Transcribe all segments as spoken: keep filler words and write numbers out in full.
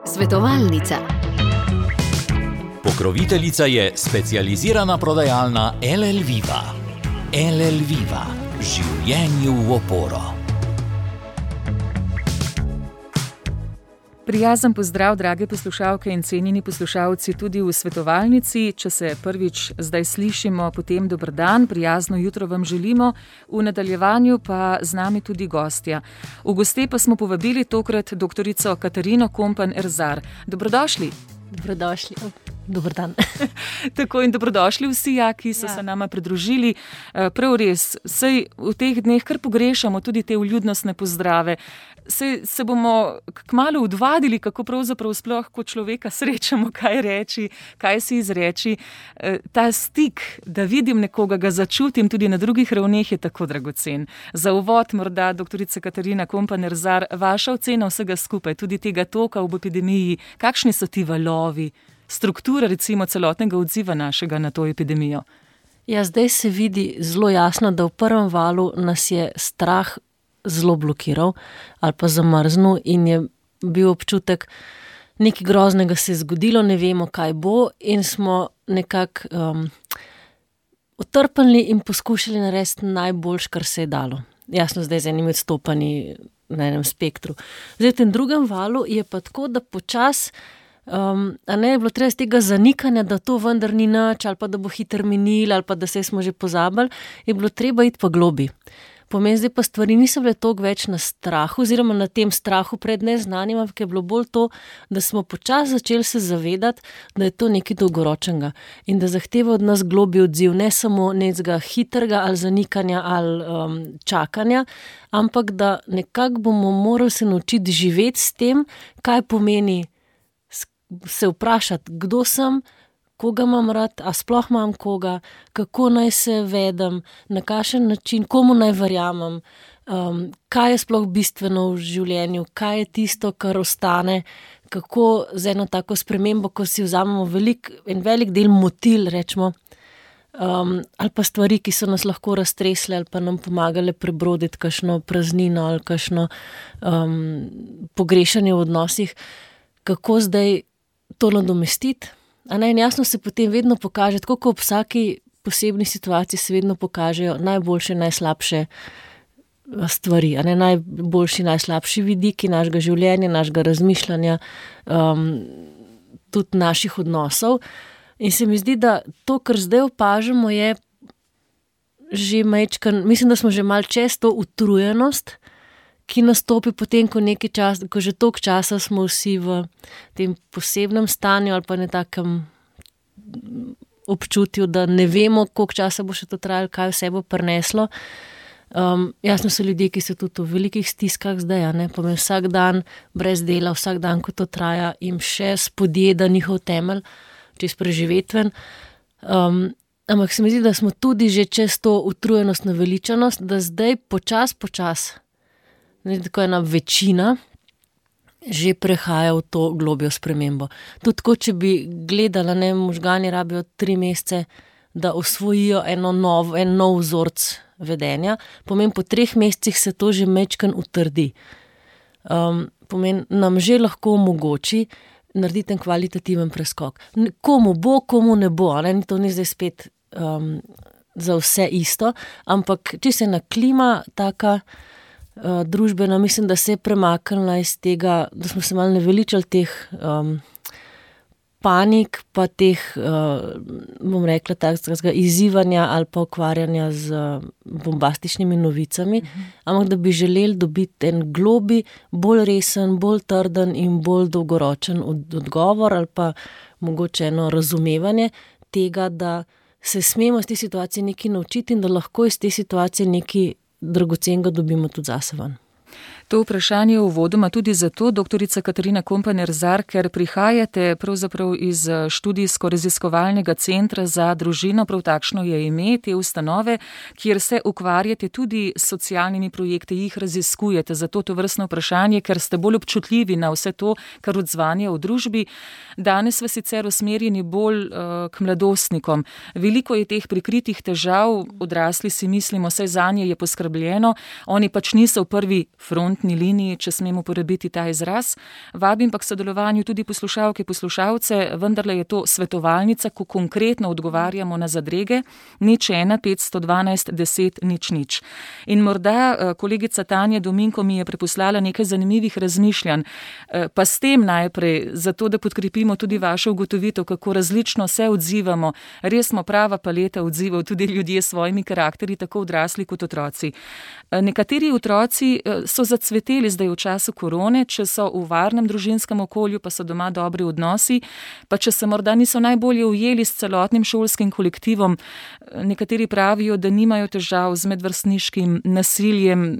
Svetovalnica. Pokroviteljica je specializirana prodajalna L L Viva. L L Viva. Življenju v oporo. Prijazen pozdrav, drage poslušalke in cenjeni poslušalci tudi v svetovalnici. Če se prvič zdaj slišimo, potem dober dan, prijazno jutro vam želimo. V nadaljevanju pa z nami tudi gostja. V goste pa smo povabili tokrat doktorico Katarino Kompan-Erzar. Dobrodošli. Dobrodošli. Dober dan. Tako in dobrodošli vsi, ja, ki so ja. se nama pridružili. Prav res, sej v teh dneh kar pogrešamo tudi te vljudnostne pozdrave. Sej se bomo kmalu odvadili, kako pravzaprav sploh kot človeka srečamo, kaj reči, kaj si izreči. Ta stik, da vidim nekoga, ga začutim tudi na drugih ravneh, je tako dragocen. Za uvod morda, doktorica Katarina Kompan-Erzar, vaša ocena vsega skupaj, tudi tega toka v epidemiji, kakšni so ti valovi, struktura recimo celotnega odziva našega na to epidemijo? Ja, zdaj se vidi zelo jasno, da v prvem valu nas je strah zelo blokiral ali pa zamrznil in je bil občutek, nekaj groznega se je zgodilo, ne vemo, kaj bo, in smo nekako um, utrpnili in poskušali narediti najboljš, kar se je dalo. Jasno, zdaj z enimi odstopanji na enem spektru. Zdaj v tem drugem valu je pa tako, da počas Um, a ne je bilo treba z tega zanikanja, da to vendar ni nič, ali pa da bo hiter minil, ali pa da se smo že pozabili, je bilo treba iti pa globi. Pomeni, zdaj pa stvari niso bile toliko več na strahu, oziroma na tem strahu pred neznanim, ampak je bilo bolj to, da smo počasi začeli se zavedati, da je to nekaj dolgoročnega in da zahteva od nas globi odziv, ne samo nekega hitrega ali zanikanja ali um, čakanja, ampak da nekako bomo morali se naučiti živeti s tem, kaj pomeni se vprašati, kdo sem, koga imam rad, a sploh imam koga, kako naj se vedem, na kakšen način, komu naj verjamem, um, kaj je sploh bistveno v življenju, kaj je tisto, kar ostane, kako z eno tako spremembo, ko si vzamemo velik, en velik del motil, rečemo, um, ali pa stvari, ki so nas lahko raztresle ali pa nam pomagale prebroditi kakšno praznino ali kakšno um, pogrešanje v odnosih, kako zdaj to nadomestiti. A ne, in jasno se potem vedno pokaže, tako kot v vsaki posebni situaciji se vedno pokažejo najboljše, najslabše stvari, a ne, najboljši, najslabši vidiki našega življenja, našega razmišljanja, um, tudi naših odnosov. In se mi zdi, da to, kar zdaj opažamo, je že majčkan, mislim, da smo že malo čez to utrujenost, ki nastopi potem, ko nekaj čas, ko že toliko časa smo vsi v tem posebnem stanju ali pa ne takem občutju, da ne vemo, koliko časa bo še to trajalo, kaj vse bo prineslo. Um, jasno so ljudje, ki so tudi v velikih stiskah zdaj, ne, pomeni vsak dan brez dela, vsak dan, ko to traja, jim še spodjeda njihov temelj, čez preživetven. Um, ampak se mi zdi, da smo tudi že čez to utrujenost, naveličanost, da zdaj počas, počas Ne, tako ena večina že prehaja v to globjo spremembo. Tudi tako, če bi gledala, ne, možgani rabijo tri mesece, da osvojijo eno nov, en nov vzorc vedenja, pomeni po treh mesecih se to že majčkeno utrdi. Um, pomeni, nam že lahko omogoči narediti en kvalitativen preskok. Komu bo, komu ne bo, ne, to ni zdaj spet um, za vse isto, ampak če se ena klima taka Uh, družbena, mislim, da se je premaknila iz tega, da smo se malo naveličali teh um, panik, pa teh, uh, bom rekla, takega izzivanja ali pa ukvarjanja z uh, bombastičnimi novicami, uh-huh. ampak da bi želeli dobiti en globi, bolj resen, bolj trden in bolj dolgoročen od, odgovor ali pa mogoče eno razumevanje tega, da se smemo iz te situacije nekaj naučiti in da lahko iz te situacije nekaj dragocenega dobimo tudi zase ven. To vprašanje uvodoma tudi zato, doktorica Katarina Kompan-Erzar, ker prihajate pravzaprav iz študijsko-raziskovalnega centra za družino, prav takšno je ime te ustanove, kjer se ukvarjate tudi s socialnimi projekti, jih raziskujete. Zato to vrstno vprašanje, ker ste bolj občutljivi na vse to, kar odzvanja v družbi. Danes v sicer usmerjeni bolj uh, k mladostnikom. Veliko je teh prikritih težav, odrasli si mislimo, saj zanje je poskrbljeno, oni pač niso v prvi frontni frontni liniji, če smem uporabiti ta izraz. Vabim pa k sodelovanju tudi poslušalke, poslušalce, vendarle je to svetovalnica, ko konkretno odgovarjamo na zadrege, nič ena, petsto dvanajst, deset, nič nič. In morda kolegica Tanja Dominko mi je preposlala nekaj zanimivih razmišljanj, pa s tem najprej, zato da podkrepimo tudi vašo ugotovitev, kako različno se odzivamo. Res smo prava paleta odzivov, tudi ljudje s svojimi karakteri, tako odrasli kot otroci. Nekateri otroci so zacveteli zdaj v času korone, če so v varnem družinskem okolju, pa so doma dobri odnosi, pa če se morda niso najbolje ujeli s celotnim šolskim kolektivom. Nekateri pravijo, da nimajo težav z medvrstniškim nasiljem.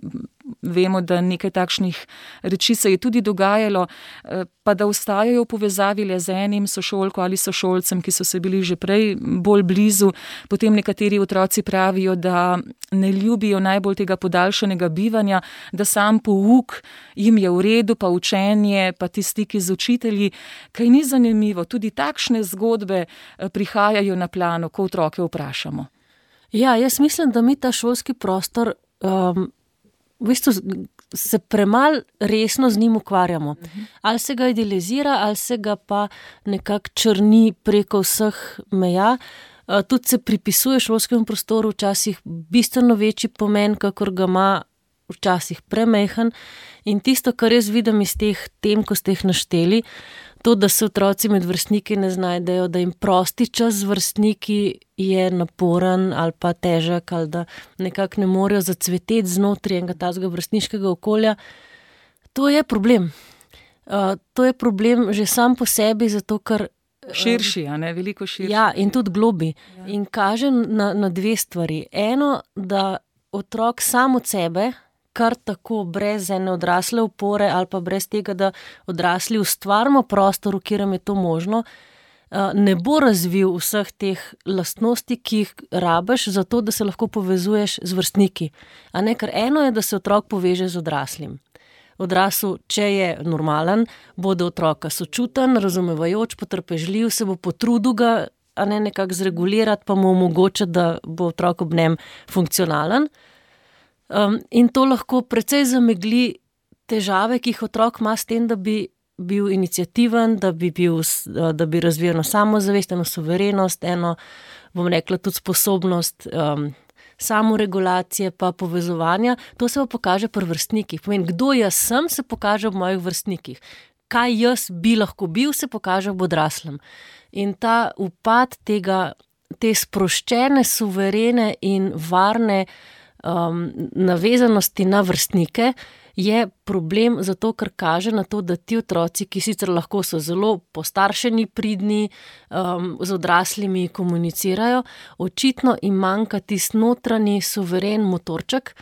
Vemo, da nekaj takšnih reči se je tudi dogajalo, pa da ostajajo v povezavi le z enim sošolko ali sošolcem, ki so se bili že prej bolj blizu. Potem nekateri otroci pravijo, da ne ljubijo najbolj tega podaljšanega bivanja, da sam pouk jim je v redu, pa učenje, pa ti stiki z učitelji. Kaj ni zanimivo, tudi takšne zgodbe prihajajo na plano, ko otroke vprašamo. Ja, jaz mislim, da mi ta šolski prostor um, v bistvu se premal resno z njim ukvarjamo. Ali se ga idealizira, ali se ga pa nekako črni preko vseh meja. Tudi se pripisuje šolskemu prostoru včasih bistveno večji pomen, kakor ga ima včasih premehen. In tisto, kar jaz vidim iz teh tem, ko ste jih našteli, to, da se otroci med vrstniki ne znajdejo, da jim prosti čas z vrstniki je naporen ali pa težek, ali da nekako ne morejo zacveteti znotraj enega tazga vrstniškega okolja, to je problem. Uh, to je problem že sam po sebi, zato ker širši, a ne, veliko širši. Ja, in tudi globi. Ja. In kaže na, na dve stvari. Eno, da otrok sam od sebe, kar tako brez ene odrasle opore ali pa brez tega, da odrasli ustvarimo prostor, v katerem je to možno, ne bo razvil vseh teh lastnosti, ki jih rabiš, zato da se lahko povezuješ z vrstniki. A ne, ker eno je, da se otrok poveže z odraslim. Odrasel, če je normalen, bo do otroka sočuten, razumevajoč, potrpežljiv, se bo potrudil ga, a ne nekako zregulirati, pa mu omogočiti, da bo otrok ob njem funkcionalen. Um, in to lahko precej zamegli težave, ki jih otrok ima s tem, da bi bil iniciativen, da bi, bil, da bi razvijal eno samozavest, eno suverenost, eno, bom rekla, tudi sposobnost um, samoregulacije pa povezovanja. To se pa pokaže pri vrstnikih. Pomeni, kdo jaz sem, se pokaže v mojih vrstnikih. Kaj jaz bi lahko bil, se pokaže v odraslem. In ta upad tega, te sproščene, suverene in varne Um, navezanosti na vrstnike je problem zato, ker kaže na to, da ti otroci, ki sicer lahko so zelo postaršeni, pridni, um, z odraslimi komunicirajo, očitno jim manjka tisti notranji suveren motorček,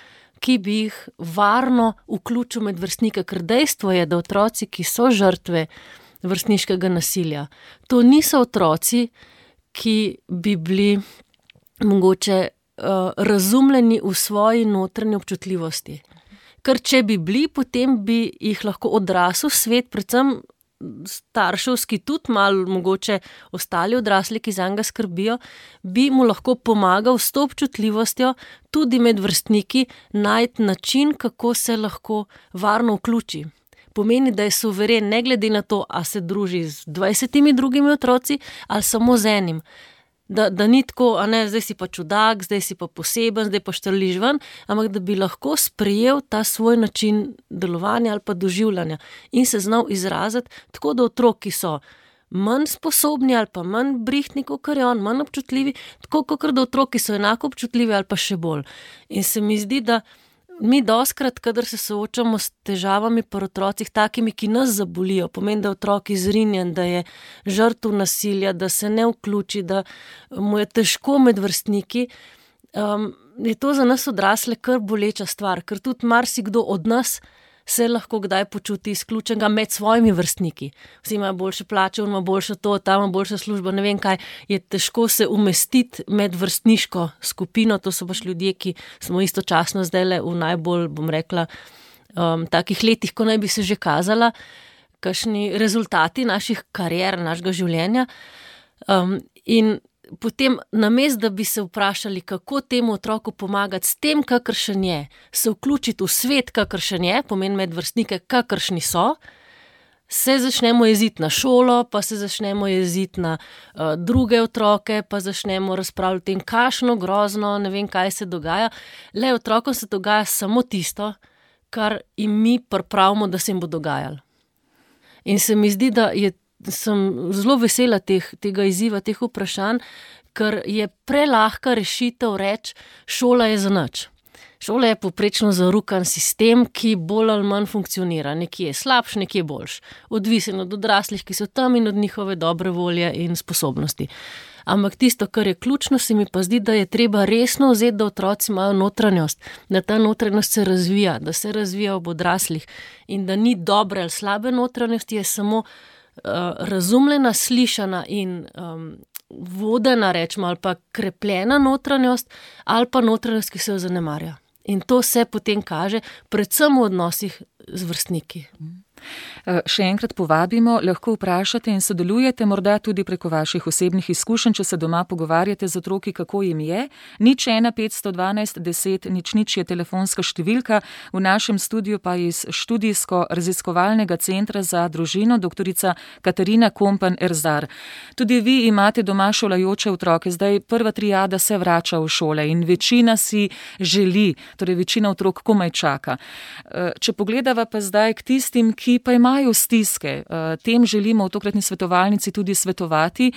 ki bi jih varno vključil med vrstnike, ker dejstvo je, da otroci, ki so žrtve vrstniškega nasilja, to niso otroci, ki bi bili mogoče razumljeni v svoji notranji občutljivosti. Ker če bi bili, potem bi jih lahko odrasel svet, predvsem starševski, tudi malo mogoče ostali odrasli, ki zanj ga skrbijo, bi mu lahko pomagal s to občutljivostjo tudi med vrstniki najti način, kako se lahko varno vključi. Pomeni, da je suveren, ne glede na to, a se druži z dvajsetimi drugimi otroci ali samo z enim. Da, da ni tako, a ne, zdaj si pa čudak, zdaj si pa poseben, zdaj pa štrliš ven, ampak da bi lahko sprejel ta svoj način delovanja ali pa doživljanja in se znal izraziti tako, da otroki so manj sposobni ali pa manj brihtni, kot je on, manj občutljivi, tako kot da otroki so enako občutljivi ali pa še bolj. In se mi zdi, da mi doskrat, kadar se soočamo s težavami pri otrocih, takimi, ki nas zabolijo, pomeni, da je otrok izrinjen, da je žrtev nasilja, da se ne vključi, da mu je težko med vrstniki, um, je to za nas odrasle kar boleča stvar, ker tudi marsikdo od nas se lahko kdaj počuti izključenega med svojimi vrstniki. Vsi imajo boljše plače, on ima boljše to, tam ima boljša služba, ne vem kaj, je težko se umestiti med vrstniško skupino, to so pač ljudje, ki smo istočasno zdajle v najbolj, bom rekla, um, takih letih, ko naj bi se že kazala, kakšni rezultati naših karier, našega življenja. Um, in potem namest, da bi se vprašali, kako temu otroku pomagati s tem, kakršen je, se vključiti v svet, kakršen je, pomeni medvrstnike, kakršni so, se začnemo jeziti na šolo, pa se začnemo jeziti na uh, druge otroke, pa začnemo razpravljati o tem, kakšno grozno, ne vem, kaj se dogaja. Le otrokom se dogaja samo tisto, kar jim mi pripravimo, da se jim bo dogajalo. In se mi zdi, da je, sem zelo vesela teh, tega izziva, teh vprašanj, ker je prelahka rešitev reči, šola je za nič. Šola je povprečno zarukan sistem, ki bolj ali manj funkcionira. Nekje je slabš, nekje je boljš. Odvisen od odraslih, ki so tam in od njihove dobre volje in sposobnosti. Ampak tisto, kar je ključno, se mi pa zdi, da je treba resno vzeti, da otroci imajo notranjost, da ta notranjost se razvija, da se razvija ob odraslih in da ni dobre ali slabe notranjosti, je samo uh, razumljena, slišana in um, vodena, rečemo, ali pa krepljena notranjost, ali pa notranjost, ki se jo zanemarja. In to se potem kaže predvsem v odnosih z vrstniki. Še enkrat povabimo, lahko vprašate in sodelujete, morda tudi preko vaših osebnih izkušenj, če se doma pogovarjate z otroki, kako jim je. Nič ena petsto dvanajst deset nič nič je telefonska številka, v našem studiu pa iz študijsko-raziskovalnega centra za družino doktorica Katarina Kompan-Erzar. Tudi vi imate doma šolajoče otroke, zdaj prva triada se vrača v šole in večina si želi, torej večina otrok komaj čaka. Če pogledava pa zdaj k tistim, ki pa imajo stiske. Tem želimo v tokratni svetovalnici tudi svetovati.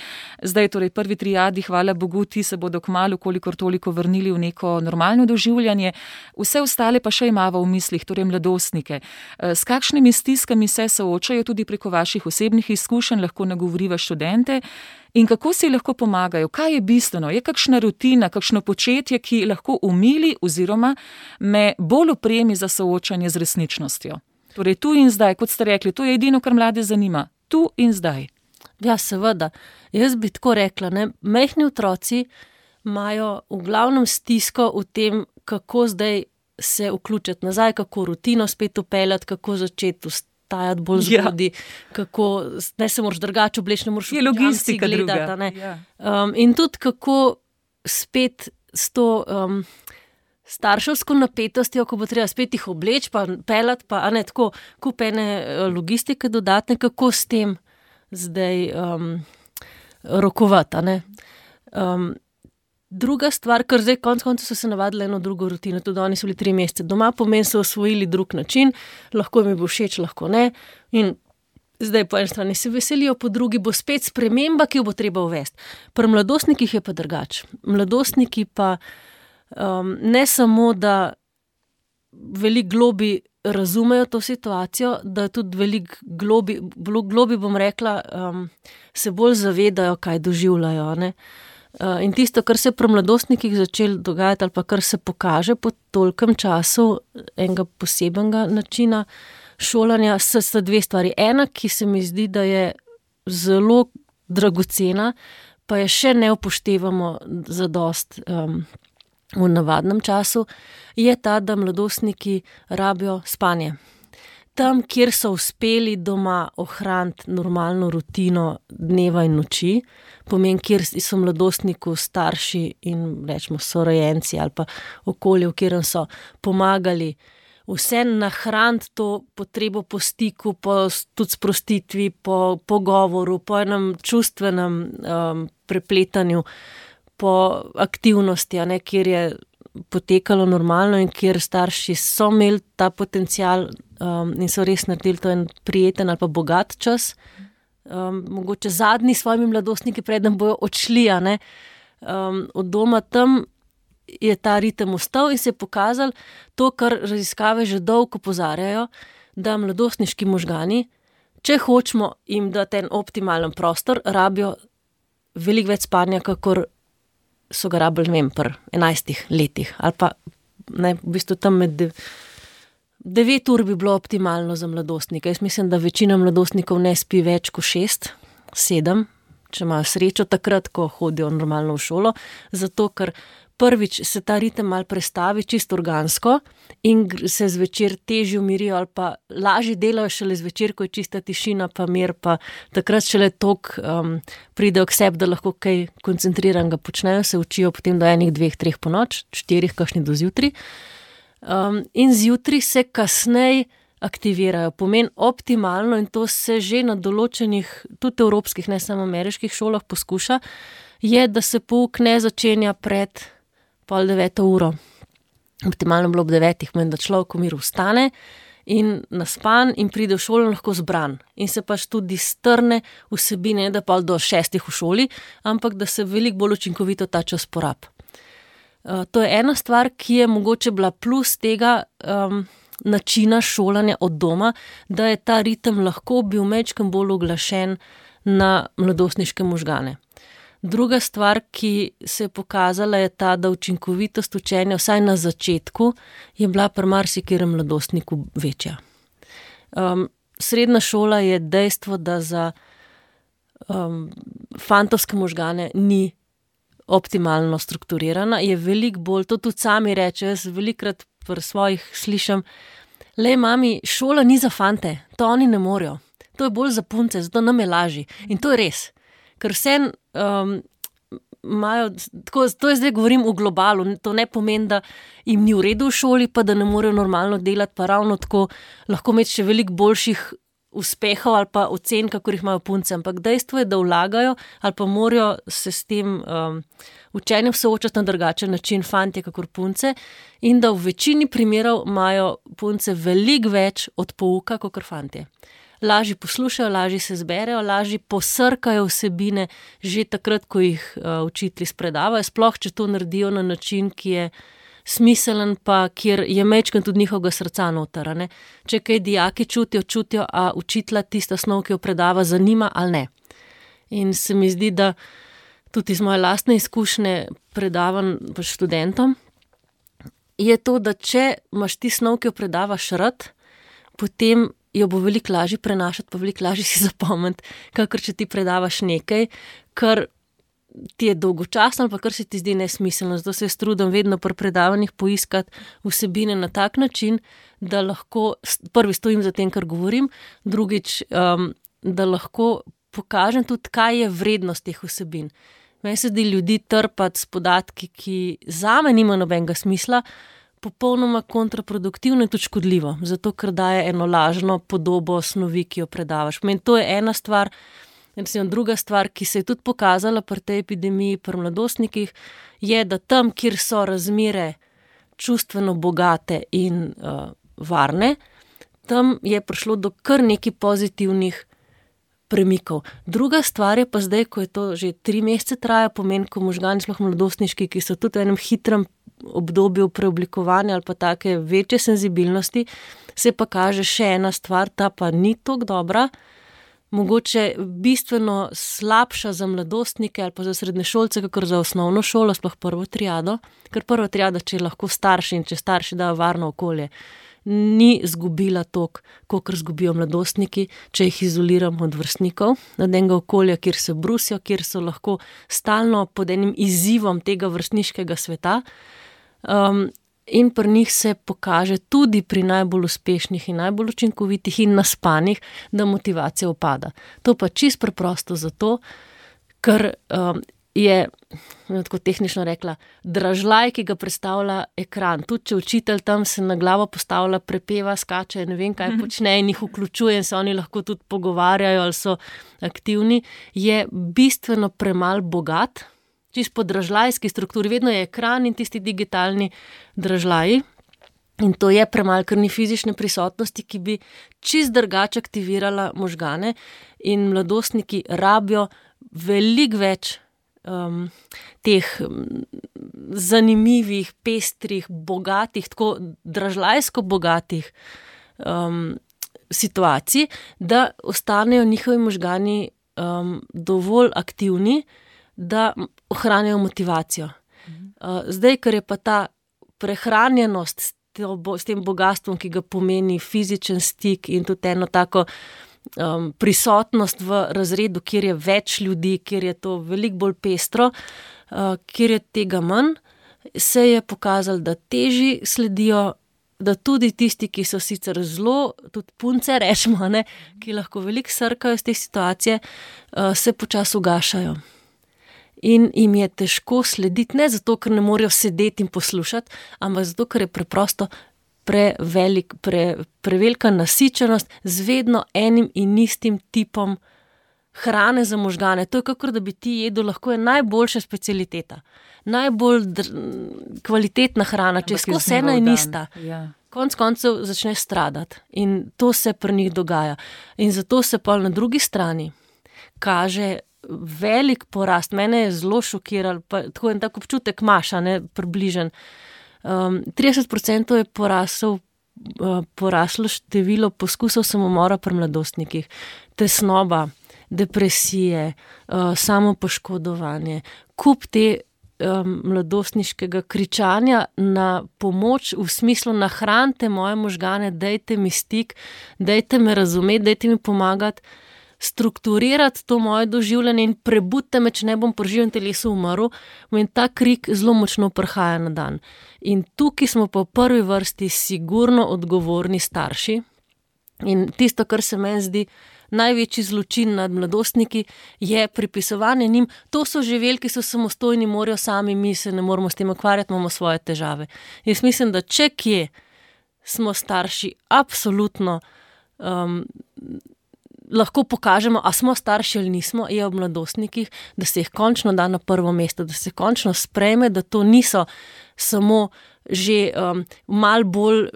Zdaj torej prvi triadi, hvala Bogu, ti se bodo kmalu kolikor toliko vrnili v neko normalno doživljanje. Vse ostale pa še imava v mislih, torej mladostnike. S kakšnimi stiskami se soočajo tudi preko vaših osebnih izkušenj, lahko nagovoriva študente in kako si lahko pomagajo? Kaj je bistveno? Je kakšna rutina, kakšno početje, ki lahko umili oziroma me bolj opremi za soočanje z resničnostjo? Torej, tu in zdaj, kot ste rekli, to je edino, kar mlade zanima. Tu in zdaj. Ja, seveda. Jaz bi tako rekla, ne, majhni otroci imajo v glavnem stisko v tem, kako zdaj se vključiti nazaj, kako rutino spet upeljati, kako začeti vstajati bolj zgodaj, ja. Kako ne se moraš drugače obleči, ne moraš je logistika gledati. druga. Ne. Ja. Um, in tudi kako spet s to Um, starševsko napetostjo, ko bo treba spet jih obleči, pa pelati, pa ne tako, kup ene logistike dodatne, kako s tem zdaj um, rokovati. Ne? Um, druga stvar, ker zdaj konc konca so se navadili eno drugo rutino, tudi oni so bili tri mesece doma, pomeni so osvojili drug način, lahko jim bo všeč, lahko ne. In zdaj po eni strani se veselijo, po drugi bo spet sprememba, ki jo bo treba uvesti. Pri mladostnikih je pa drugače. Mladostniki pa Um, ne samo, da veliko globi razumejo to situacijo, da tudi veliko globi, globi bom rekla, um, se bolj zavedajo, kaj doživljajo. Ne? Uh, in tisto, kar se pri mladostnikih začelo dogajati ali pa kar se pokaže po tolkem času enega posebenega načina šolanja, so, so dve stvari. Ena, ki se mi zdi, da je zelo dragocena, pa je še ne upoštevamo zadost um, v navadnem času, je ta, da mladostniki rabijo spanje. Tam, kjer so uspeli doma ohraniti normalno rutino dneva in noči, pomeni, kjer so mladostniku starši in rečemo sorojenci ali pa okolje, v kjerem so pomagali vse nahraniti to potrebo po stiku, po tudi sprostitvi, po pogovoru, po enem čustvenem um, prepletanju, po aktivnosti, ne, kjer je potekalo normalno in kjer starši so imeli ta potencial um, in so res naredili to en prijeten ali pa bogat čas. Um, mogoče zadnji svojimi mladostniki, preden bojo odšli, a ne, um, od doma, tam je ta ritem ostal in se je pokazal to, kar raziskave že dolgo opozarjajo, da mladostniški možgani, če hočemo jim dati en optimalen prostor, rabijo veliko več spanja, kakor so ga rabili, ne vem, pri enajstih letih. Ali pa, ne, v bistvu tam med dev, devet ur bi bilo optimalno za mladostnika. Jaz mislim, da večina mladostnikov ne spi več kot šest, sedem, če imajo srečo takrat, ko hodijo normalno v šolo, zato ker prvič se ta ritem malo prestavi čisto organsko in se zvečer težje umirijo ali pa lažje delajo šele zvečer, ko je čista tišina pa mir, pa takrat šele tok um, pridejo k sebi, da lahko kaj koncentriranega počnejo, se učijo potem do enih, dveh, treh po noč, štirih, kakšni do zjutraj. Um, in zjutraj se kasneje aktivirajo. Pomen optimalno in to se že na določenih, tudi evropskih, ne samo ameriških šolah poskuša, je, da se pouk ne začenja pred pol deveto uro. Optimalno bilo ob devetih, meni, da človek v miru vstane in naspan in pride v šolo lahko zbran. In se pač tudi strne vsebine, da pol do šestih v šoli, ampak da se veliko bolj učinkovito ta čas porab. Uh, to je ena stvar, ki je mogoče bila plus tega um, načina šolanja od doma, da je ta ritem lahko bil majčkeno bolj uglašen na mladostniške možgane. Druga stvar, ki se je pokazala, je ta, da učinkovitost učenja, vsaj na začetku, je bila pri marsikerem mladostniku večja. Um, srednja šola je dejstvo, da za um, fantovske možgane ni optimalno strukturirana, je veliko bolj, to tudi sami rečejo, jaz velikokrat pri svojih slišam, le mami, šola ni za fante, to oni ne morejo, to je bolj za punce, zato nam je lažji. In to je res, ker vse um, imajo, tako, to je zdaj govorim v globalu, to ne pomeni, da jim ni v redu v šoli, pa da ne morejo normalno delati, pa ravno tako lahko imeti še veliko boljših uspehov ali pa ocen, kakor jih imajo punce, ampak dejstvo je, da vlagajo ali pa morajo se s tem um, učenjem soočati na drugačen način fantje kakor punce in da v večini primerov imajo punce veliko več od pouka kakor fantje. Lažje poslušajo, lažje se zberejo, lažje posrkajo vsebine že takrat, ko jih uh, učitelji spredavajo, sploh če to naredijo na način, ki je smiselen, pa kjer je mečken tudi njihovega srca noter. Ne? Če kaj dijaki čutijo, čutijo, a učitelja tista snov, ki jo predava, zanima ali ne. In se mi zdi, da tudi iz moje lastne izkušnje predavam študentom, je to, da če imaš ti snov, ki jo predavaš rad, potem jo bo veliko lažje prenašati, pa veliko lažje si zapomniti, kakor če ti predavaš nekaj, kar ti je dolgočasno, pa kar se ti zdi nesmiselno. Zato se jaz trudim vedno pri predavanjih poiskati vsebine na tak način, da lahko prvi stojim za tem, kar govorim, drugič, um, da lahko pokažem tudi, kaj je vrednost teh vsebin. Meni se zdi ljudi trpati s podatki, ki zame nima nobenega smisla, popolnoma kontraproduktivno in tudi škodljivo, zato ker daje eno lažno podobo snovi, ki jo predavaš. Meni to je ena stvar. Recimo, druga stvar, ki se je tudi pokazala pri tej epidemiji, pri mladostnikih, je, da tam, kjer so razmere čustveno bogate in uh, varne, tam je prišlo do kar nekaj pozitivnih premikov. Druga stvar je pa zdaj, ko je to že tri mesece traja, pomeni, ko možgani, sploh mladostniški, ki so tudi v enem hitrem obdobju preoblikovanja ali pa take večje senzibilnosti, se pa kaže še ena stvar, ta pa ni toliko dobra, mogoče bistveno slabša za mladostnike ali pa za srednješolce, kakor za osnovno šolo, sploh prvo triado, ker prva triada, če lahko starši in če starši dajo varno okolje, ni zgubila toliko, kakor zgubijo mladostniki, če jih izoliramo od vrstnikov, od enega okolja, kjer se brusijo, kjer so lahko stalno pod enim izzivom tega vrstniškega sveta. Um, In pri njih se pokaže tudi pri najbolj uspešnih in najbolj učinkovitih in naspanih, da motivacija upada. To pa čisto preprosto zato, ker um, je, tako tehnično rekla, dražljaj, ki ga predstavlja ekran. Tudi če učitelj tam se na glavo postavlja, prepeva, skače, ne vem kaj počne in jih vključuje in se oni lahko tudi pogovarjajo ali so aktivni, je bistveno premal bogat, čisto po dražljajski strukturi, vedno je ekran in tisti digitalni dražljaji in to je premalo, ker ni fizične prisotnosti, ki bi čisto drugače aktivirala možgane in mladostniki rabijo veliko več um, teh zanimivih, pestrih, bogatih, tako dražljajsko bogatih um, situacij, da ostanejo njihovi možgani um, dovolj aktivni, da ohranjajo motivacijo. Uh, zdaj, ker je pa ta prehranjenost s, to, s tem bogatstvom, ki ga pomeni fizičen stik in tudi eno tako um, prisotnost v razredu, kjer je več ljudi, kjer je to veliko bolj pestro, uh, kjer je tega manj, se je pokazalo, da teži sledijo, da tudi tisti, ki so sicer zelo, tudi punce rečemo, ne, ki lahko veliko srkajo iz te situacije, se počasi ugašajo. In jim je težko slediti, ne zato, ker ne morejo sedeti in poslušati, ampak zato, ker je preprosto prevelik, pre, prevelika nasičenost z vedno enim in istim tipom hrane za možgane. To je kakor, da bi ti jedel, lahko je najboljša specialiteta, najbolj dr, kvalitetna hrana, če je skozi ena in ista. Ja. Konc koncev začne stradati in to se pri njih dogaja. In zato se pa na drugi strani kaže velik porast. Mene je zelo šokiral, pa tako en tak občutek imaš, ne, približen. Um, trideset procentov je porasel, uh, poraslo število poskusov samomora pri mladostnikih. Tesnoba, depresije, uh, samopoškodovanje, kup te um, mladostniškega kričanja na pomoč v smislu nahranite moje možgane, dajte mi stik, dajte me razumeti, dajte mi pomagati, strukturirati to moje doživljanje in prebudite me, če ne bom pri živem telesu umrl, in ta krik zelo močno prihaja na dan. In tukaj smo pa v prvi vrsti sigurno odgovorni starši in tisto, kar se meni zdi največji zločin nad mladostniki, je pripisovanje njim, to so živeli, ki so samostojni, morajo sami, mi se ne moramo s tem ukvarjati, imamo svoje težave. Jaz mislim, da če kje smo starši absolutno um, lahko pokažemo, a smo starši ali nismo, je ob mladostnikih, da se jih končno da na prvo mesto, da se končno sprejme, da to niso samo že um, mal bolj,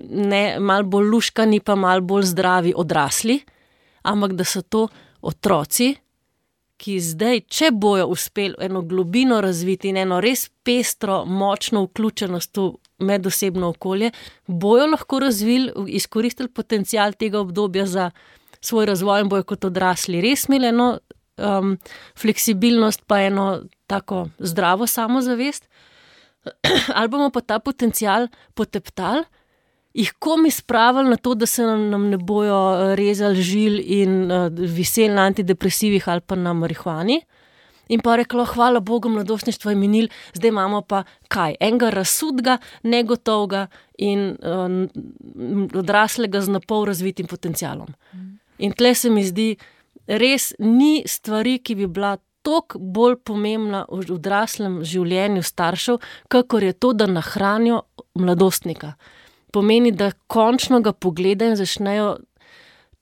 ne, mal bolj luškani, pa mal bolj zdravi odrasli, ampak da so to otroci, ki zdaj, če bojo uspeli eno globino razviti in eno res pestro, močno vključenost v medosebno okolje, bojo lahko razvili, izkoristili potencial tega obdobja za svoj razvoj in bojo kot odrasli res imeli eno um, fleksibilnost, pa eno tako zdravo samozavest, ali bomo pa ta potencial poteptali, jih komi spravili na to, da se nam, nam ne bojo rezali žil in uh, viseli na antidepresivih ali pa na marihuani. In pa reklo, hvala Bogu, mladostništvo je minil, zdaj imamo pa kaj? Enega razsudga, negotovega in uh, odraslega z napol razvitim potencialom. In tle se mi zdi, res ni stvari, ki bi bila toliko bolj pomembna v odraslem življenju staršev, kakor je to, da nahranijo mladostnika. Pomeni, da končno ga pogledajo in začnejo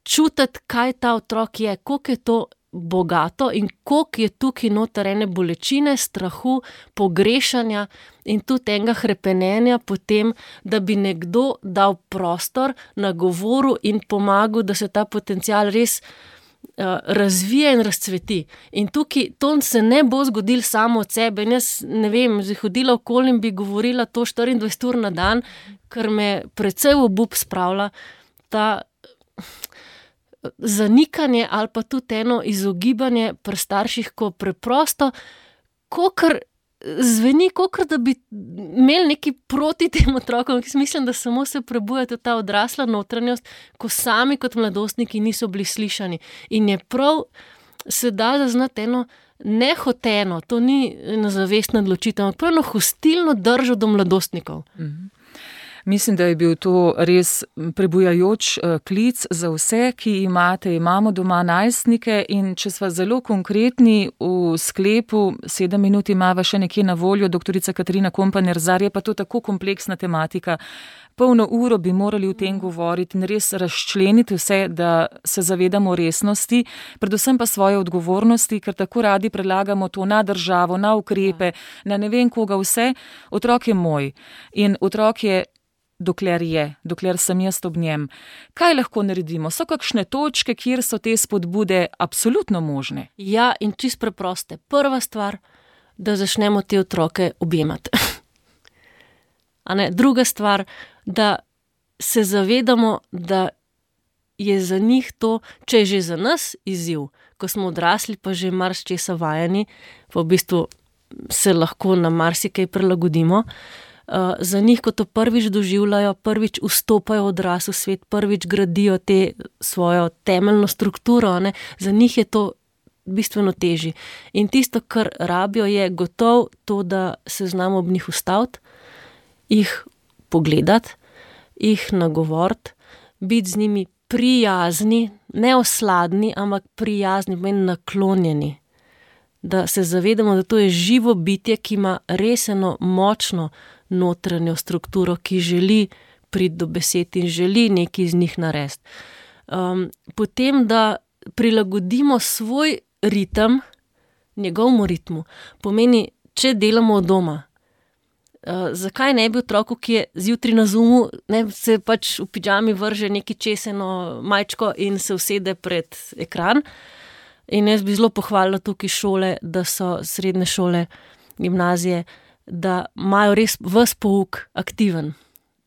čutiti, kaj ta otrok je, koliko je to bogato in koliko je tukaj noter ene bolečine, strahu, pogrešanja in tudi enega hrepenenja potem, da bi nekdo dal prostor, nagovoril in pomagal, da se ta potencial res uh, razvije in razcveti. In tukaj to se ne bo zgodilo samo od sebe. In jaz ne vem, že hodila okoli in bi govorila to štiriindvajset ur na dan, ker me precej v obup spravlja ta zanikanje ali pa tudi eno izogibanje pri starših, ko preprosto, kokr zveni, kokr da bi imeli neki proti tem otrokom, ki mislim, da samo se prebuja tudi ta odrasla notranjost, ko sami kot mladostniki niso bili slišani. In je prav, se da zaznati eno nehoteno, to ni ena zavestna odločitev, ampak prav eno hostilno držo do mladostnikov. Mhm. Mislim, da je bil to res prebujajoč klic za vse, ki imate, imamo doma najstnike in če sva zelo konkretni v sklepu, sedem minut imava še nekje na voljo, doktorica Katarina Kompaner-Zar, je pa to tako kompleksna tematika. Polno uro bi morali v tem govoriti in res razčleniti vse, da se zavedamo resnosti, predvsem pa svoje odgovornosti, ker tako radi predlagamo to na državo, na ukrepe, na ne vem koga vse. Otrok je moj in otrok je dokler je, dokler sem jaz ob njem. Kaj lahko naredimo? So kakšne točke, kjer so te spodbude absolutno možne? Ja, in čist preproste. Prva stvar, da začnemo te otroke objemati. A ne? Druga stvar, da se zavedamo, da je za njih to, če je že za nas izziv, ko smo odrasli, pa že marsičesa vajeni, pa v bistvu se lahko na marsikaj prilagodimo, Uh, za njih, ko to prvič doživljajo, prvič vstopajo v odrasel svet, prvič gradijo te svojo temeljno strukturo, ne? Za njih je to bistveno težji. In tisto, kar rabijo, je gotovo to, da se znamo ob njih ustaviti, jih pogledati, jih nagovoriti, biti z njimi prijazni, ne osladni, ampak prijazni, pomeni naklonjeni. Da se zavedamo, da to je živo bitje, ki ima res eno močno notranjo strukturo, ki želi priti do besed in želi nekaj iz njih narediti. Um, potem, da prilagodimo svoj ritem njegovemu ritmu. Pomeni, če delamo od doma, uh, zakaj ne bi otroku, ki je zjutraj na Zoomu, ne, se pač v pidžami vrže neki česeno majčko in se usede pred ekran. In jaz bi zelo pohvalila tukaj šole, da so srednje šole, gimnazije, da imajo res ves pouk aktiven.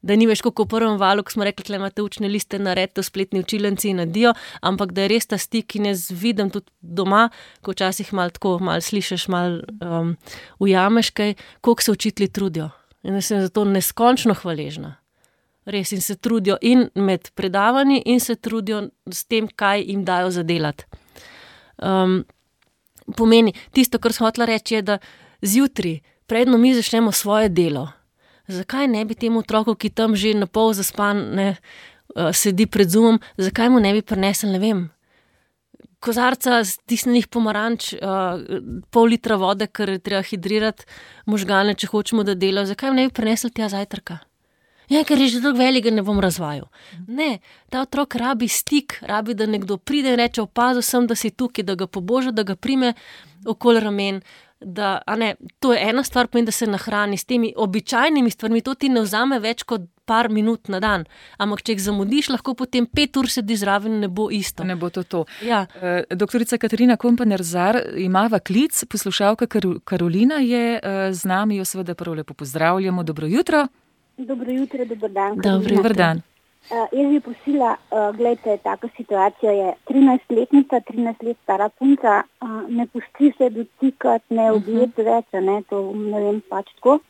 Da ni več kot v prvem valu, ko smo rekli, da imate učne liste, naredite v spletni učilnici in nadijo, ampak da je res ta stik in jaz vidim tudi doma, ko včasih malo tako, malo slišiš, malo um, ujameš kaj, koliko se učitelji trudijo. In jaz sem zato neskončno hvaležna. Res, in se trudijo in med predavanji in se trudijo s tem, kaj jim dajo za delati. Um, pomeni, tisto, kar sem hotela reči, je, da zjutraj, predno mi začnemo svoje delo. Zakaj ne bi temu otroku, ki tam že na pol zaspan ne, uh, sedi pred Zoomom, zakaj mu ne bi prinesel, ne vem, kozarca stisnenih pomaranč, uh, pol litra vode, ker treba hidrirati možgane, če hočemo, da delajo, zakaj mu ne bi prinesel tja zajtrka? Ja, ker je že drug velik, ne bom razvajal. Ne, ta otrok rabi stik, rabi, da nekdo pride in reče, opazil sem, da si tukaj, da ga poboža, da ga prime okoli ramen, da, a ne, to je ena stvar, pomeni, da se nahrani s temi običajnimi stvarmi, to ti ne vzame več kot par minut na dan, ampak če jih zamudiš, lahko potem pet ur sedi zraven, ne bo isto. Ne bo to to. Ja. Uh, doktorica Katarina Kompaner-Zar imava klic, poslušalka Kar- Karolina je uh, z nami, jo seveda prvo lepo pozdravljamo, dobro jutro. Dobro jutro, dober dan. Dobar dan. Uh, jaz bi prosila, uh, gledajte, taka situacija je trinajstletnica, trinajst let stara punca, uh, ne pusti se dotikati, ne objeti uh-huh. več, ne, to ne vem pač tako.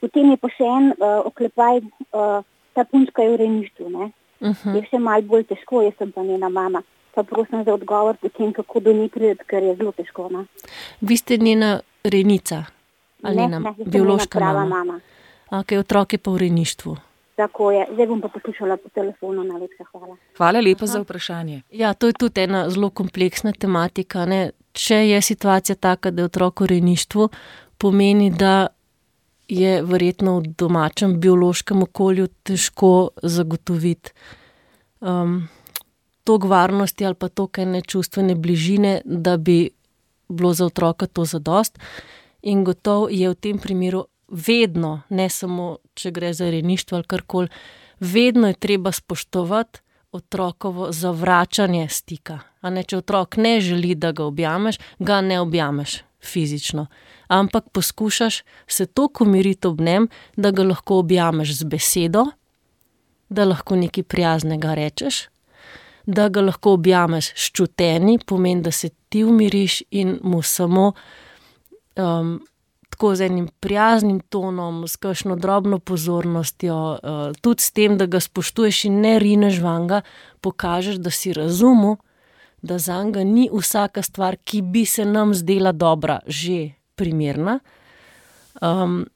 Potem je pa še en uh, oklepaj, uh, ta punčka je v rejništvu, ne. Uh-huh. Je še malo bolj težko, jaz sem pa njena mama. Pa prosim za odgovor potem, kako do nje prideti, ker je zelo težko, ne. Vi ste njena rejnica? Ali ne, njena ne, biološka prava mama? mama. Ok, otrok je pa v rejništvu. Tako je. Zdaj bom pa poslušala po telefonu, najlepša hvala. Hvala lepa Aha. za vprašanje. Ja, to je tudi ena zelo kompleksna tematika, ne. Če je situacija taka, da je otrok v rejništvu, pomeni, da je verjetno v domačem biološkem okolju težko zagotoviti um, toliko varnosti ali pa toliko ene čustvene bližine, da bi bilo za otroka to zadost. In gotovo je v tem primeru vedno, ne samo, če gre za rejništvo ali karkoli, vedno je treba spoštovati otrokovo zavračanje stika. A ne, če otrok ne želi, da ga objameš, ga ne objameš fizično. Ampak poskušaš se toliko umiriti ob njem, da ga lahko objameš z besedo, da lahko nekaj prijaznega rečeš, da ga lahko objameš s čutenji, pomeni, da se ti umiriš in mu samo um, tako z enim prijaznim tonom, s kakšno drobno pozornostjo, uh, tudi s tem, da ga spoštuješ in ne rineš vanga, pokažeš, da si razumel, da zanga ni vsaka stvar, ki bi se nam zdela dobra, že primerna. Um,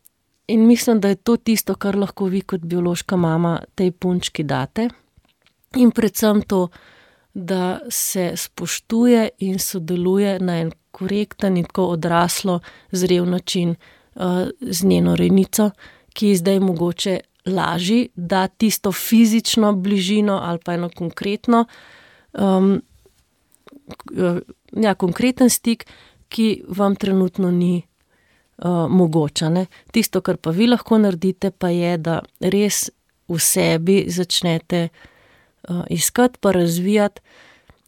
in mislim, da je to tisto, kar lahko vi kot biološka mama tej punčki date. In predvsem to, da se spoštuje in sodeluje na en korekten in tako odraslo, zrel način uh, z njeno rejnico, ki zdaj mogoče laži, da tisto fizično bližino ali pa eno konkretno, um, ja, konkreten stik, ki vam trenutno ni uh, mogoča. Ne? Tisto, kar pa vi lahko naredite, pa je, da res v sebi začnete uh, iskati pa razvijati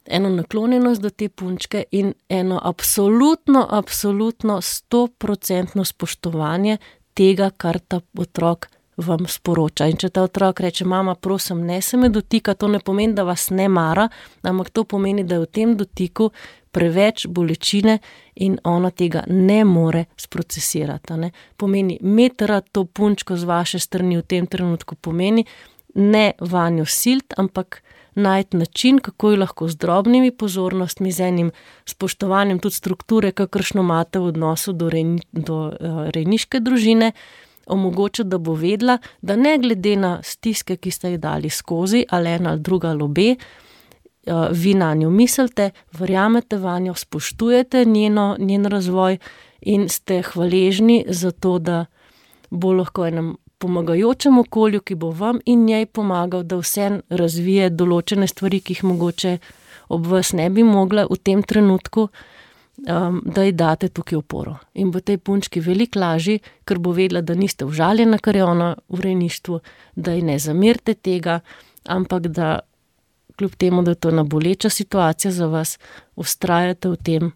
eno naklonjenost do te punčke in eno absolutno, absolutno stoprocentno spoštovanje tega, kar ta otrok vam sporoča. In če ta otrok reče, mama, prosim, ne se me dotika, to ne pomeni, da vas ne mara, ampak to pomeni, da je v tem dotiku preveč bolečine in ona tega ne more sprocesirati. Ne? Pomeni, metra to punčko z vaše strani v tem trenutku pomeni, ne vanjo silt, ampak najti način, kako jo lahko z drobnimi pozornostmi, z enim spoštovanjem tudi strukture, kakršno imate v odnosu do, rejni, do uh, rejniške družine, omogočiti, da bo vedela, da ne glede na stiske, ki ste jih dali skozi, ali ena ali druga ali obe, vi na njo mislite, verjamete vanjo, spoštujete njeno, njen razvoj in ste hvaležni za to, da bo lahko enem pomagajočem okolju, ki bo vam in njej pomagal, da vse razvije določene stvari, ki jih mogoče ob vas ne bi mogla v tem trenutku, Um, da ji date tukaj oporo. In bo tej punčki veliko lažji, ker bo vedela, da niste užaljena, kar je ona v rejništvu, da ji ne zamerite tega, ampak da kljub temu, da je to ena boleča situacija za vas, vztrajate v tem,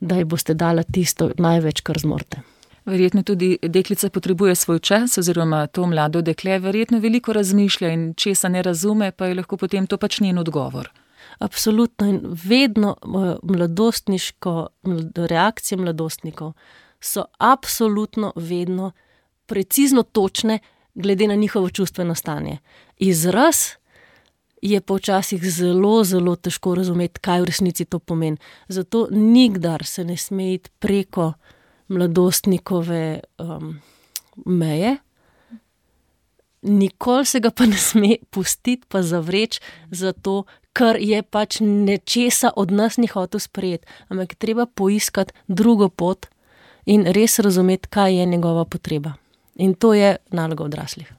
da ji boste dala tisto največ, kar zmorete. Verjetno tudi deklica potrebuje svoj čas, oziroma to mlado dekle verjetno veliko razmišlja in česa ne razume, pa je lahko potem to pač njen odgovor. Absolutno in vedno mladostniško, reakcije mladostnikov so absolutno vedno precizno točne glede na njihovo čustveno stanje. Izraz je pa včasih zelo, zelo težko razumeti, kaj v resnici to pomeni. Zato nikdar se ne sme iti preko mladostnikove um, meje, nikoli se ga pa ne sme pustiti pa zavreči zato, ker je pač nečesa od nas ni hotel sprejeti, ampak je treba poiskati drugo pot in res razumeti, kaj je njegova potreba. In to je naloga odraslih.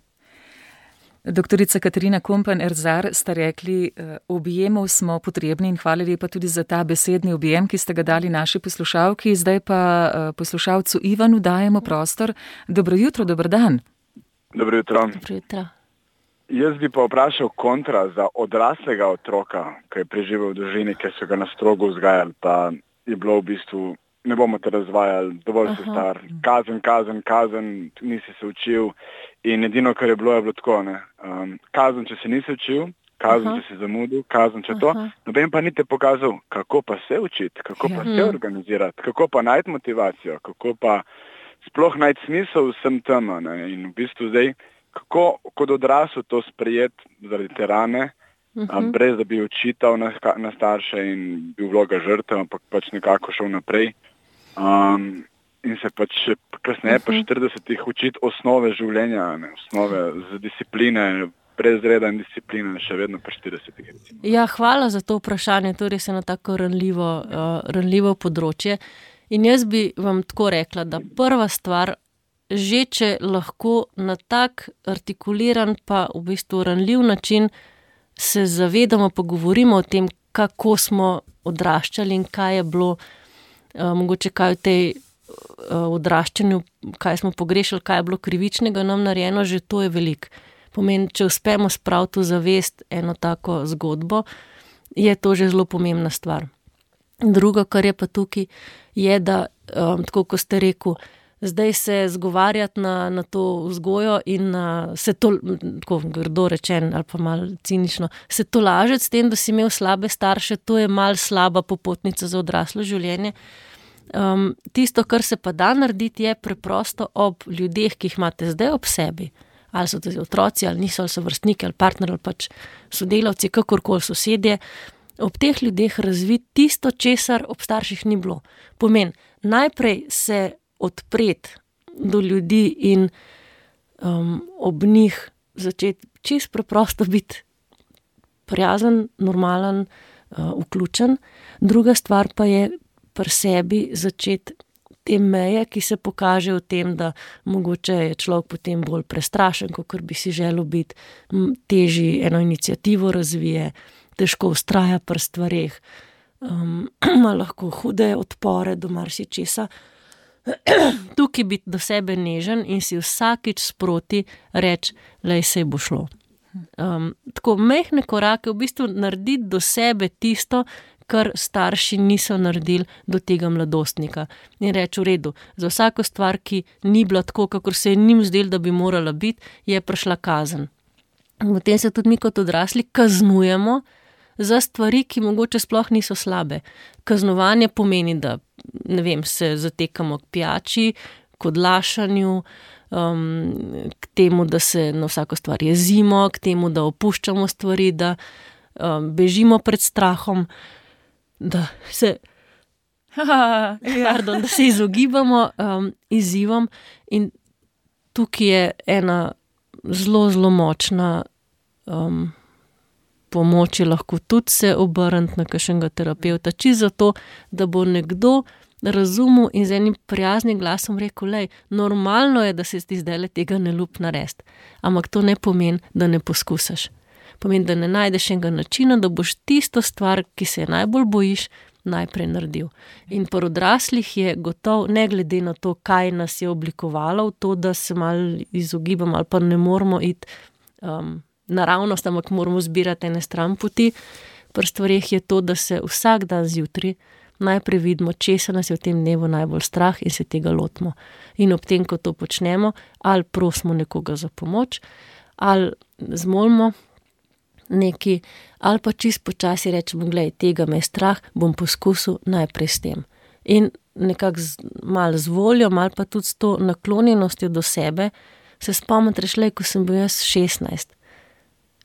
Doktorica Katarina Kompan-Erzar, ste rekli, objemov smo potrebni in hvala lepa tudi za ta besedni objem, ki ste ga dali naši poslušalki. Zdaj pa poslušalcu Ivanu dajemo prostor. Dobro jutro, dober dan. Dobro jutro. Dobro jutro. Jaz bi pa vprašal kontra za odraslega otroka, ki je preživel v družini, ki so ga na strogo vzgajali, pa je bilo v bistvu, ne bomo te razvajali, dovolj si star, kazen, kazen, kazen, nisi se učil in edino, kar je bilo, je bilo tako, ne. Um, kazen, če se nisi učil, kazen, Aha. če si zamudil, kazen, če to, noben pa ni te pokazal, kako pa se učiti, kako pa se organizirati, kako pa najti motivacijo, kako pa sploh najti smisel vsem tem, ne, in v bistvu zdaj, kako kot odrasel to sprejeti zaradi te rane, uh-huh. brez da bi očital na, na starše in bil vloga žrtev, ampak pač nekako šel naprej. Um, in se pač kasneje uh-huh. pa štiridesetih učiti osnove življenja, ne, osnove z discipline, brez reda in discipline, še vedno pa štiridesetih. Ja, hvala za to vprašanje, to je res eno tako ranljivo, uh, ranljivo področje. In jaz bi vam tako rekla, da prva stvar, že če lahko na tak artikuliran pa v bistvu ranljiv način se zavedamo, pa govorimo o tem, kako smo odraščali in kaj je bilo, uh, mogoče kaj v tej uh, odraščanju, kaj smo pogrešali, kaj je bilo krivičnega nam narejeno, že to je veliko. Pomeni, če uspemo spraviti v zavest eno tako zgodbo, je to že zelo pomembna stvar. Drugo, kar je pa tukaj, je, da, um, tako ko ste rekel, zdaj se zgovarjati na, na to vzgojo in na, se to, tako grdo rečen ali pa malo cinično, se to lažeti s tem, da si imel slabe starše, to je malo slaba popotnica za odraslo življenje. Um, tisto, kar se pa da narediti, je preprosto ob ljudeh, ki jih imate zdaj ob sebi, ali so to otroci, ali niso, ali so vrstniki, ali partner, ali pač sodelavci, kakorkoli sosedje, ob teh ljudeh razviti tisto, česar ob starših ni bilo. Pomeni, najprej se odpreti do ljudi in um, ob njih začeti čisto preprosto biti prijazen, normalen, uh, vključen. Druga stvar pa je pri sebi začeti te meje, ki se pokaže v tem, da mogoče je človek potem bolj prestrašen, kot bi si želel biti, težji eno inicijativo razvije, težko vztraja pri stvareh, um, ima lahko hude odpore do marsičesa. Tukaj biti do sebe nežen in si vsakič sproti reči, lej, sej bo šlo. Um, tako mehne korake, v bistvu narediti do sebe tisto, kar starši niso naredili do tega mladostnika. In reči, v redu, za vsako stvar, ki ni bila tako, kakor se je njim zdelo, da bi morala biti, je prišla kazen. Potem se tudi mi kot odrasli kaznujemo za stvari, ki mogoče sploh niso slabe. Kaznovanje pomeni, da ne vem, se zatekamo k pijači, k odlašanju, um, k temu, da se na vsako stvar jezimo, k temu, da opuščamo stvari, da um, bežimo pred strahom, da se, ja. pardon, da se izogibamo um, izzivom. In tukaj je ena zelo, zelo močna um, pomoč, je lahko tudi se obrniti na kakšnega terapevta, čisto zato, da bo nekdo razumel in z enim prijaznim glasom rekel, lej, normalno je, da se ti zdajle tega ne ljubi narediti, ampak to ne pomeni, da ne poskusaš. Pomeni, da ne najdeš enega načina, da boš tisto stvar, ki se je najbolj bojiš, najprej naredil. In pri odraslih je gotov, ne glede na to, kaj nas je oblikovalo, v to, da se malo izogibamo ali pa ne moramo iti um, naravnost, ampak moramo zbirati ene stran poti. Pri stvareh je to, da se vsak dan zjutraj najprej vidimo, česa nas je v tem dnevu najbolj strah in se tega lotimo. In ob tem, ko to počnemo, ali prosimo nekoga za pomoč, ali zmolimo neki, ali pa čist počasi rečemo, glej, tega me je strah, bom poskusil najprej s tem. In nekako malo z voljo, malo pa tudi s to naklonjenostjo do sebe, se spomniti, rešlej, ko sem bil jaz šestnajst.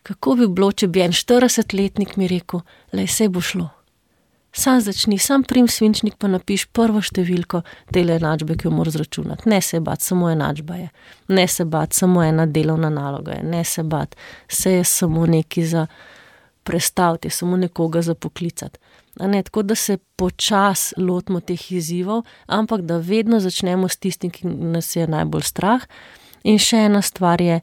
Kako bi bilo, če bi en štiridesetletnik mi rekel, lej, sej bo šlo. Sam začni, sam prim svinčnik, pa napiš prvo številko dele enačbe, ki jo moraš zračunati. Ne se bat, samo enačba je. Ne se bat, samo ena delovna naloga je. Ne se bat, se je samo neki za prestaviti, samo nekoga za poklicati. A ne, tako da se počas lotimo teh izzivov, ampak da vedno začnemo s tistim, ki nas je najbolj strah. In še ena stvar je,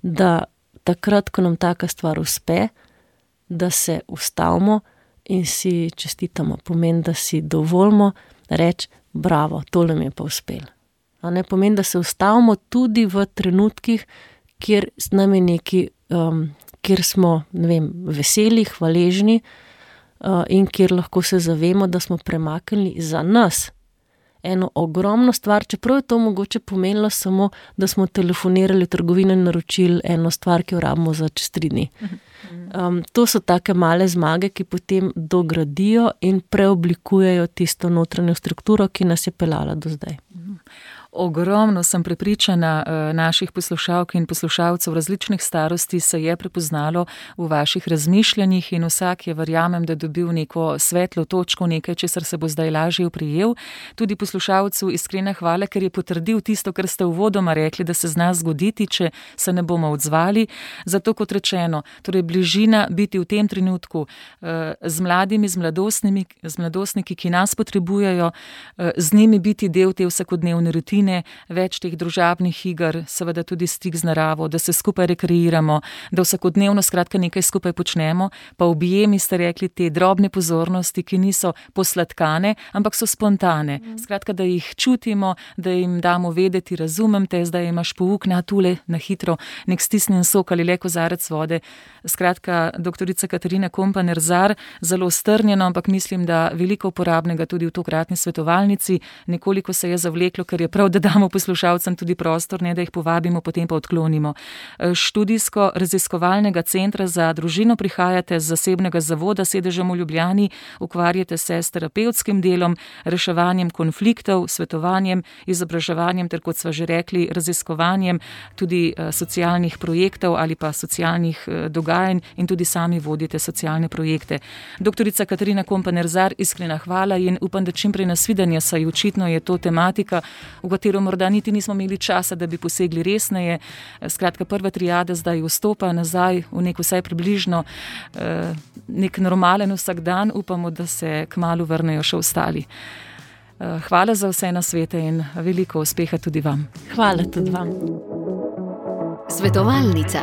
da takrat, ko nam taka stvar uspe, da se ustavimo in si čestitamo. Pomeni, da si dovolimo reči, bravo, tole mi je pa uspelo. A ne, pomeni, da se ustavimo tudi v trenutkih, kjer nam je neki, um, kjer smo, ne vem, veseli, hvaležni uh, in kjer lahko se zavemo, da smo premaknili za nas eno ogromno stvar, čeprav je to mogoče pomenilo samo, da smo telefonirali v trgovino in naročili eno stvar, ki jo rabimo za čez tri dni. Um, to so take male zmage, ki potem dogradijo in preoblikujejo tisto notranjo strukturo, ki nas je peljala do zdaj. Ogromno sem prepričana naših poslušalk in poslušalcev različnih starosti se je prepoznalo v vaših razmišljanjih in vsak je, verjamem, da dobil neko svetlo točko, nekaj, česar se bo zdaj lažje oprijel. Tudi poslušalcu iskrena hvala, ker je potrdil tisto, kar ste uvodoma rekli, da se zna zgoditi, če se ne bomo odzvali. Zato, kot rečeno, torej bližina biti v tem trenutku z mladimi, z mladostnimi, z mladostniki, ki nas potrebujejo, z njimi biti del te vsakodnevne rutine, več teh družabnih iger, seveda tudi stik z naravo, da se skupaj rekreiramo, da vsakodnevno skratka nekaj skupaj počnemo, pa objemi ste rekli te drobne pozornosti, ki niso posladkane, ampak so spontane. Skratka, da jih čutimo, da jim damo vedeti, razumem te, zdaj imaš pouk, na tule, na hitro, nek stisnjen sok ali le kozarec vode. Skratka, doktorica Katarina Kompan-Erzar, zelo strnjeno, ampak mislim, da veliko uporabnega tudi v tokratni svetovalnici. Nekoliko se je zavleklo, ker je prav, da damo poslušalcem tudi prostor, ne da jih povabimo, potem pa odklonimo. Študijsko-raziskovalnega centra za družino prihajate z zasebnega zavoda, sedežem v Ljubljani, ukvarjate se s terapevtskim delom, reševanjem konfliktov, svetovanjem, izobraževanjem ter, kot sva že rekli, raziskovanjem tudi socialnih projektov ali pa socialnih dogajanj in tudi sami vodite socialne projekte. Doktorica Katarina Kompan-Erzar, iskrena hvala in upam, da čim prej nasvidenje, saj očitno je to tematika, v katero morda niti nismo imeli časa, da bi posegli resneje. Skratka, prva triada zdaj vstopa nazaj v nek vsaj približno nek normalen vsakdan. Upamo, da se kmalu vrnejo še ostali. Hvala za vse nasvete in veliko uspeha tudi vam. Hvala tudi vam. Svetovalnica.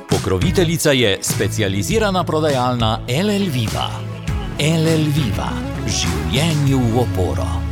Pokroviteljica je specializirana prodajalna L L Viva. L L Viva. Življenju v oporo.